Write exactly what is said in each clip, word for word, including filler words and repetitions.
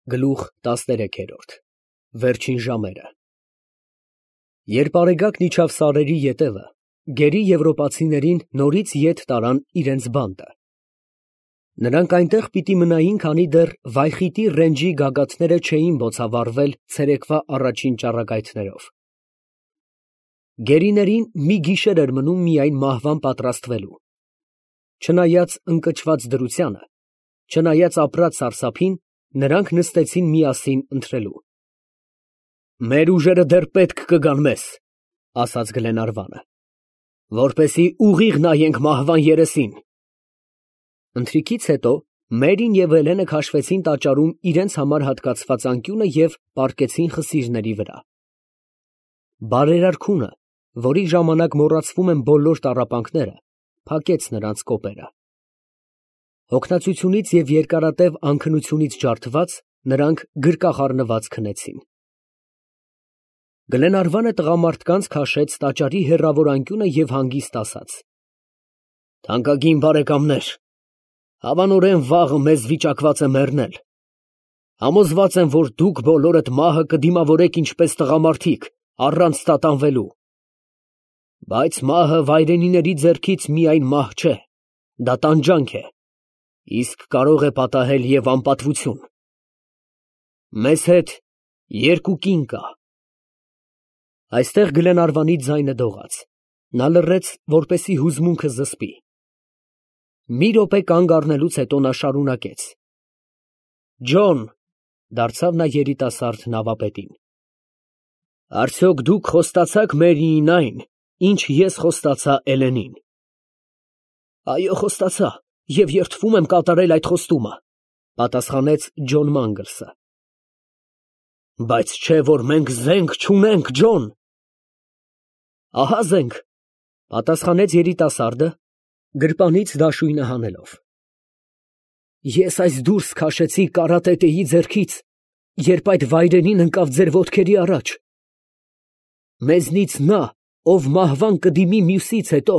Գլուխ տասներեքերորդ Վերջին ժամերը Երբ Արեգակն իջավ սարերի ետևը, գերի եվրոպացիներին նորից ետ տարան իրենց բանտը. նրանք այնտեղ պիտի մնային, քանի դեռ վայխիտի ռենջի գագաթները չէին բոցավառվել ցերեկվա առաջին ճառագայթներով։ Գերիներին մի գիշեր էր մնում միայն մահվան պատրաստվելու։ Չնայած ընկճված դրությանը, չնայած ապրած սարսափին, նրանք նստեցին միասին ընթրելու։ «Մեր ուժերը դեռ պետք կգան մեզ», ֊ ասաց Գլենարվանը, «որպեսզի ուղիղ նայենք մահվան երեսին»։ Ընթրիքից հետո Մերին և Հելենը քաշվեցին տաճարում իրենց համար հատկացված անկյունը և պառկեցին խսիրների վրա։ Բարերար քունը, որի ժամանակ մոռացվում են բոլոր տառապանքները, փակեց նրանց կոպերը։ Հոգնածությունից և երկարատև անքնությունից ջարդված, նրանք գրկախառնված քնեցին։ Գլենարվանը տղամարդկանց քաշեց տաճարի հեռավոր անկյունը և հանգիստ ասաց. «Թանկագին բարեկամներ, հավանորեն վաղը մեզ վիճակված է մեռնել։ Համոզված եմ, որ դուք բոլորդ մահը կդիմավորեք ինչպես տղամարդիկ, առանց տատանվելու։ Բայց մահը վայրենիների ձեռքից միայն մահ չէ, դա տանջանք է, իսկ կարող է պատահել և անպատվություն։ Մեզ հետ երկու կին կա»։ Այստեղ Գլենարվանի ձայնը դողաց, նա լռեց, որպեսզի հուզմունքը զսպի։ Մի րոպե կանգ առնելուց հետո նա շարունակեց. «Ջոն», ֊ դարձավ նա երիտասարդ նավապետին, ֊ արդյոք դուք խոստացա՞ք Մերիին այն, ինչ ես խոստացա Էլենին։ ֊ Այո, խոստացա և երդվում եմ կատարել այդ խոստումը, ֊ պատասխանեց Ջոն Մանգլսը։ ֊ Բայց չէ՞ որ մենք զենք չունենք, Ջոն։ ֊ Ահա զենք, ֊ պատասխանեց երիտասարդը, գրպանից դաշույնը հանելով։ Ես այս դուրս քաշեցի կարատետեի ձեռքից, երբ այդ վայրենին ընկավ ձեր ոտքերի առաջ։ Մեզնից նա, ով մահվան կդիմի մյուսից հետո,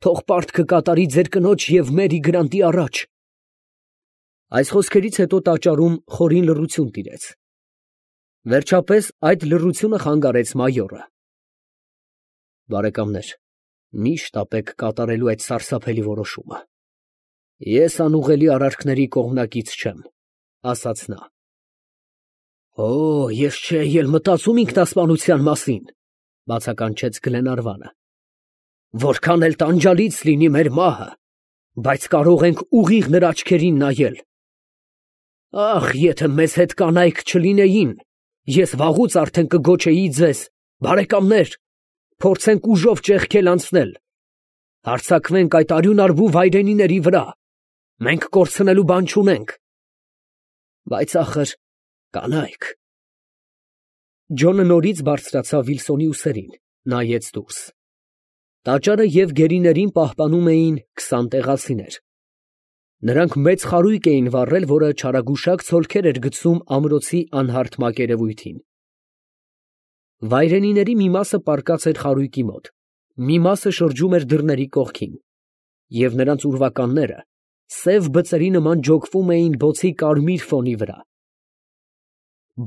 թող պարտ կկատարի ձեր կնոջ և Մերի Գրանտի առաջ։ Այս խոսքերից հետո տաճարում խորին լռություն տիրեց։ Վերջապես այդ լռությունը խանգարեց մայորը։ Բարեկամներ, միշտ ապեք կատարելու այդ սարսափելի որոշումը։ Ես անուղղելի արարքների կողմնակից չեմ, ֊ ասաց նա։ ֊ Օ, ես չէի էլ մտածում ինքնասպանության մասին, ֊ բացականչեց Գլենարվանը։ Որքան էլ տանջալից լինի մեր մահը, բայց կարող ենք ուղիղ նրա աչքերին նայել։ Ախ, եթե մեզ հետ կանայք չլինեին, ես վաղուց արդեն կգոչեի ձեզ. բարեկամներ, փորձենք ուժով ճեղքել անցնել, հարձակվենք այդ արյունարբու վայրենիների վրա, մենք կորցնելու բան չունենք։ Բայց ախր, կանայք… Ջոնը նորից բարձրացավ Վիլսոնի ուսերին, նայեց դուրս։ Տաճարը և գերիներին պահպանում էին քսան տեղացիներ։ Նրանք մեծ խարույկ էին վառել, որը չարագուշակ ցոլքեր էր գցում ամրոցի անհարթ մակերևույթին։ Վայրենիների մի մասը պառկած էր խարույկի մոտ, մի մասը շրջում էր դռների կողքին, և նրանց ուրվականները սև բծերի նման ջոկվում էին բոցի կարմիր ֆոնի վրա։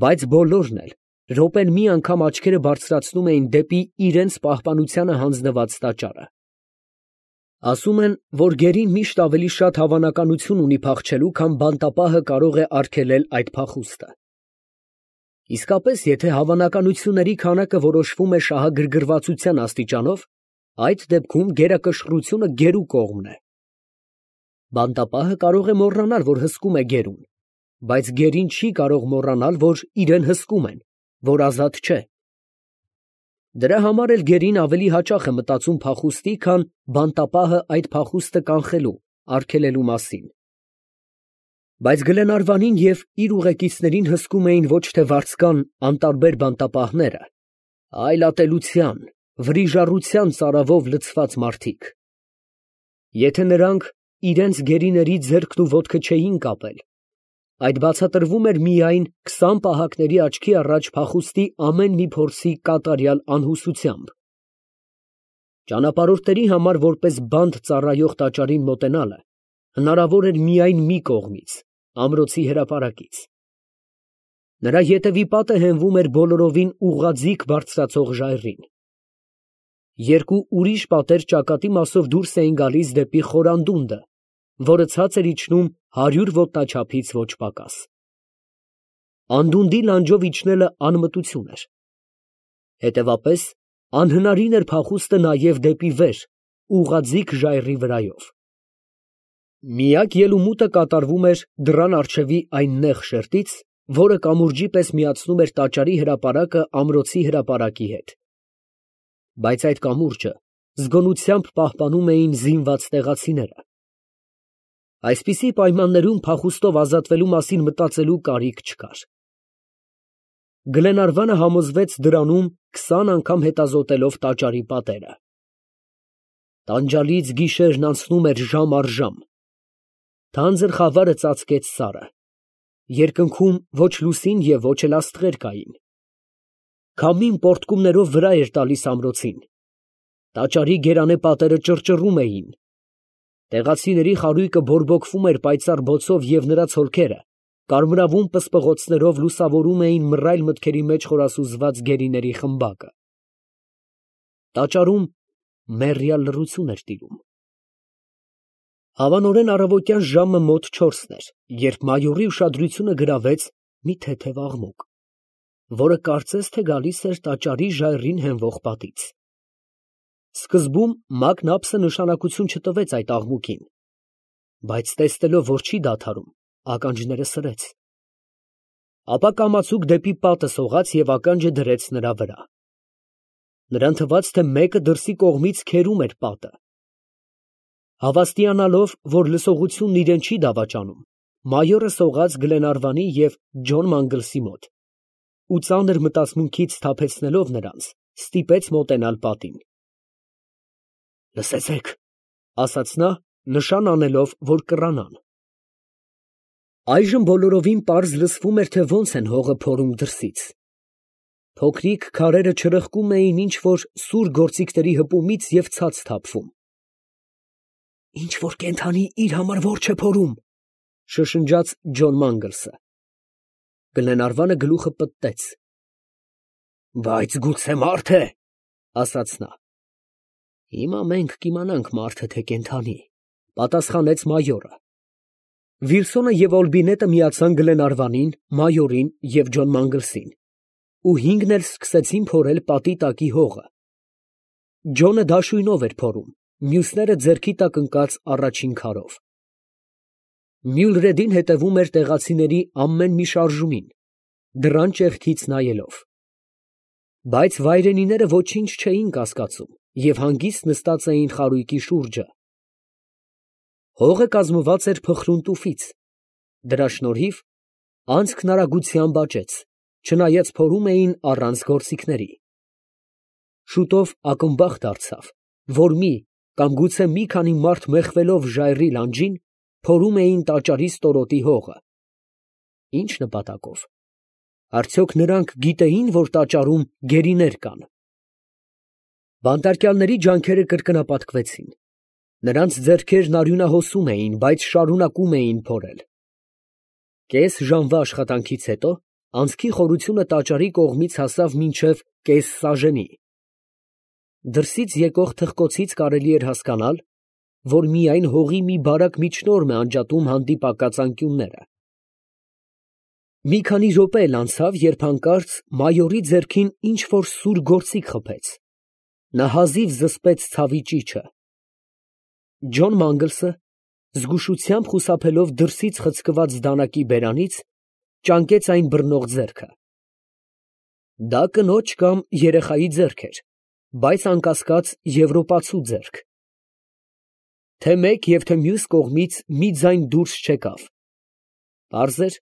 Բայց բոլորն էլ րոպեն մի անգամ աչքերը բարձրացնում էին դեպի իրենց պահպանությանը հանձնված տաճարը։ Ասում են, որ գերին միշտ ավելի շատ հավանականություն ունի փախչելու, քան բանտապահը կարող է արգելել այդ փախուստը։ Իսկապես, եթե հավանականությունների քանակը որոշվում է շահագրգռվածության աստիճանով, այդ դեպքում գերակշռությունը գերու կողմն է։ Բանտապահը կարող է մոռանալ, որ հսկում է գերուն, բայց գերին չի կարող մոռանալ, որ իրեն հսկում են, որ ազատ չէ։ Դրա համար էլ գերին ավելի հաճախ է մտածում փախուստի, քան բանտապահը այդ փախուստը կանխելու, արգելելու մասին։ Բայց Գլենարվանին և իր ուղեկիցներին հսկում էին ոչ թե վարձկան անտարբեր բանտապահները, այլ ատելության, վրիժառության ծարավով լցված մարդիկ։ Եթե նրանք իրենց գերիների ձեռքն ու ոտքը չէին կապել, այդ բացատրվում էր միայն քսան պահակների աչքի առաջ փախուստի ամեն մի փորձի կատարյալ անհուսությամբ։ Ճանապարհորդների համար որպես բանտ ծառայող տաճարին մոտենալը հնարավոր էր միայն մի կողմից, ամրոցի հրապարակից։ Նրա ետևի պատը հենվում էր բոլորովին ուղղաձիգ բարձրացող ժայռին։ Երկու ուրիշ պատեր ճակատի մասով դուրս էին գալիս դեպի խորանդունդը, որը ցած էր իջնում հարյուր ոտնաչափից ոչ պակաս։ Անդունդի լանջով իջնելը անմտություն էր։ Հետևապես անհնարին էր փախուստը նաև դեպի վեր, ուղղաձիգ ժայռի վրայով։ Միակ ելումուտը կատարվում էր դռան առջևի այն նեղ շերտից, որը կամուրջի պես միացնում էր տաճարի հրապարակը ամրոցի հրապարակի հետ։ Բայց այդ կամուրջը զգոնությամբ պահպանում էին զինված տեղացիները։ Այսպիսի պայմաններում փախուստով ազատվելու մասին մտածելու կարիք չկար։ Գլենարվանը համոզվեց դրանում քսան անգամ հետազոտելով տաճարի պատերը։ Տանջալից գիշերն անցնում էր ժամ առ ժամ։ Թանձր խավարը ծածկեց սարը։ Երկնքում ոչ լուսին և ոչ էլ աստղեր կային։ Քամին պոռթկումներով վրա էր տալիս ամրոցին։ Տաճարի գերանե պատերը ճռճռում էին։ Տեղացիների խարույկը բորբոքվում էր պայծառ բոցով և նրա ցոլքերը կարմրավուն պսպղոցներով լուսավորում էին մռայլ մտքերի մեջ խորասուզված գերիների խմբակը։ Տաճարում մեռյալ լռություն էր տիրում։ Հավանորեն առավոտյան ժամը մոտ չորսն էր, երբ մայորի ուշադրությունը գրավեց մի թեթև աղմուկ, որը կարծես թե գալիս էր տաճարի ժայռին հենվող պատից։ Սկզբում Մակնապսը նշանակություն չտվեց այդ աղմուկին, բայց տեսնելով, որ չի դադարում, ականջները սրեց։ Ապա կամացուկ դեպի պատը սողաց և ականջը դրեց նրա վրա։ Նրան թվաց, թե մեկը դրսի կողմից քերում էր պատը։ Հավաստիանալով, որ լսողությունն իրեն չի դավաճանում, մայորը սողաց Գլենարվանի և Ջոն Մանգլսի մոտ ու ծանր մտածմունքից սթափեցնելով նրանց, ստիպեց մոտենալ պատին։ «Լսեցեք», ֊ ասաց նա, նշան անելով, որ կռանան։ Այժմ բոլորովին պարզ լսվում էր, թե ոնց են հողը փորում դրսից։ Փոքրիկ քարերը չրխկում էին ինչ֊որ սուր գործիքների հպումից և ցած թափվում։ «Ինչ֊որ կենդանի իր համար որջ է փորում», ֊ շշնջաց Ջոն Մանգլսը։ Գլենարվանը գլուխը պտտեց։ «Բայց գուցե մարդ է, ֊ ասաց նա։ ֊ Հիմա մենք կիմանանք մարդը թե կենդանի, ֊ պատասխանեց մայորը։ Վիլսոնը և Օլբինետը միացան Գլենարվանին, մայորին և Ջոն Մանգլսին ու հինգն էլ սկսեցին փորել պատի տակի հողը։ Ջոնը դաշույնով էր փորում, մյուսները ձեռքի տակ ընկած առաջին քարով։ Մյուլրեդին հետևում էր տեղացիների ամեն մի շարժումին, դռան ճեղքից նայելով։ Բայց վայրենիները ոչինչ չէին կասկածում և հանգիստ նստած էին խարույկի շուրջը։ Հողը կազմված էր փխրուն տուֆից, դրա շնորհիվ անցքն արագությամբ աճեց, չնայած փորում էին առանց գործիքների։ Շուտով ակնբախ դարձավ, որ մի կամ գուցե մի քանի մարդ մեխվելով ժայռի լանջին, փորում էին տաճարի ստորոտի հողը։ Ինչ նպատակով։ Արդյոք նրանք գիտեի՞ն, որ տաճարում գերիներ կան։ Բանտարկյալների ջանքերը կրկնապատկվեցին։ Նրանց ձեռքերն արյունահոսում էին, բայց շարունակում էին փորել։ Կես ժամվա աշխատանքից հետո անցքի խորությունը տաճարի կողմից հասավ մինչև կես սաժենի։ Դրսից եկող թխկոցից կարելի էր հասկանալ, որ միայն հողի մի բարակ միջնորմ է անջատում հանդիպակաց անկյունները։ Մի քանի րոպե էլ անցավ, երբ հանկարծ մայորի ձեռքին ինչ֊որ սուր գործիք խփեց։ Նա հազիվ զսպեց ցավի ճիչը։ Ջոն Մանգլսը, զգուշությամբ խուսափելով դրսից խցկված դանակի բերանից, ճանկեց այն բռնող ձեռքը։ Դա կնոջ կամ երեխայի ձեռք էր, բայց անկասկած եվրոպացու ձեռք։ Թե մեկ և թե մյուս կողմից մի ձայն դուրս չեկավ։ Պարզ էր,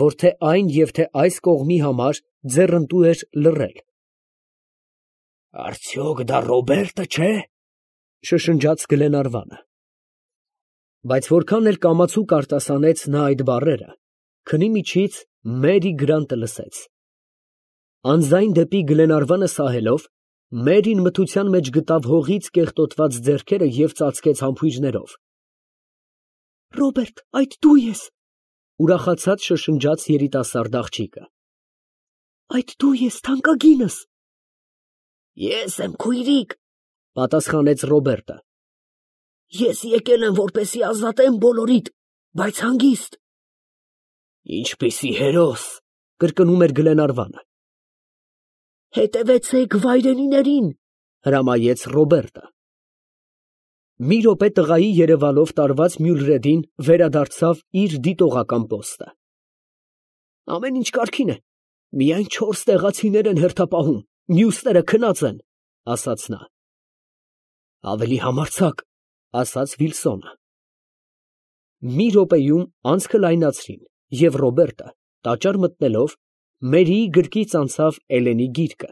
որ թե այն և թե այս կողմի համար ձեռնտու էր լռել։ «Արդյոք դա Ռոբերտը չէ՞, ֊ շշնջաց Գլենարվանը։ Բայց որքան էլ կամացուկ արտասանեց նա այդ բառերը, քնի միջից Մերի Գրանտը լսեց։ Անձայն դեպի Գլենարվանը սահելով, Մերին մթության մեջ գտավ հողից կեղտոտված ձեռքերը և ծածկեց համբույրներով։ «Ռոբերտ, այդ դու ես», ֊ ուրախացած շշնջաց երիտասարդ աղջիկը։ Այդ դու ես թանկագինս։ Ես եմ քույրիկ, պատասխանեց Ռոբերտը։ Ես եկել եմ, որպեսզի ազատեմ բոլորիդ, բայց հանգիստ։ Ինչպիսի հերոս, կրկնում էր Գլենարվանը։ Հետևեցեք վայրենիներին, հրամայեց Ռոբերտը։ Մի րոպե տղայի երևալով տարված Մյուլրեդին վերադարձավ իր դիտողական պոստը։ Ամեն ինչ կարգին է, միայն չորս տեղացիներ են հերթապահում, մյուսները քնած են, ասաց նա։ Ավելի համարձակ, ասաց Վիլսոնը։ Մի րոպեում անցքը լայնացրին, և Ռոբերտը, տաճար մտնելով, Մերիի գրկից անցավ Էլենի գիրկը։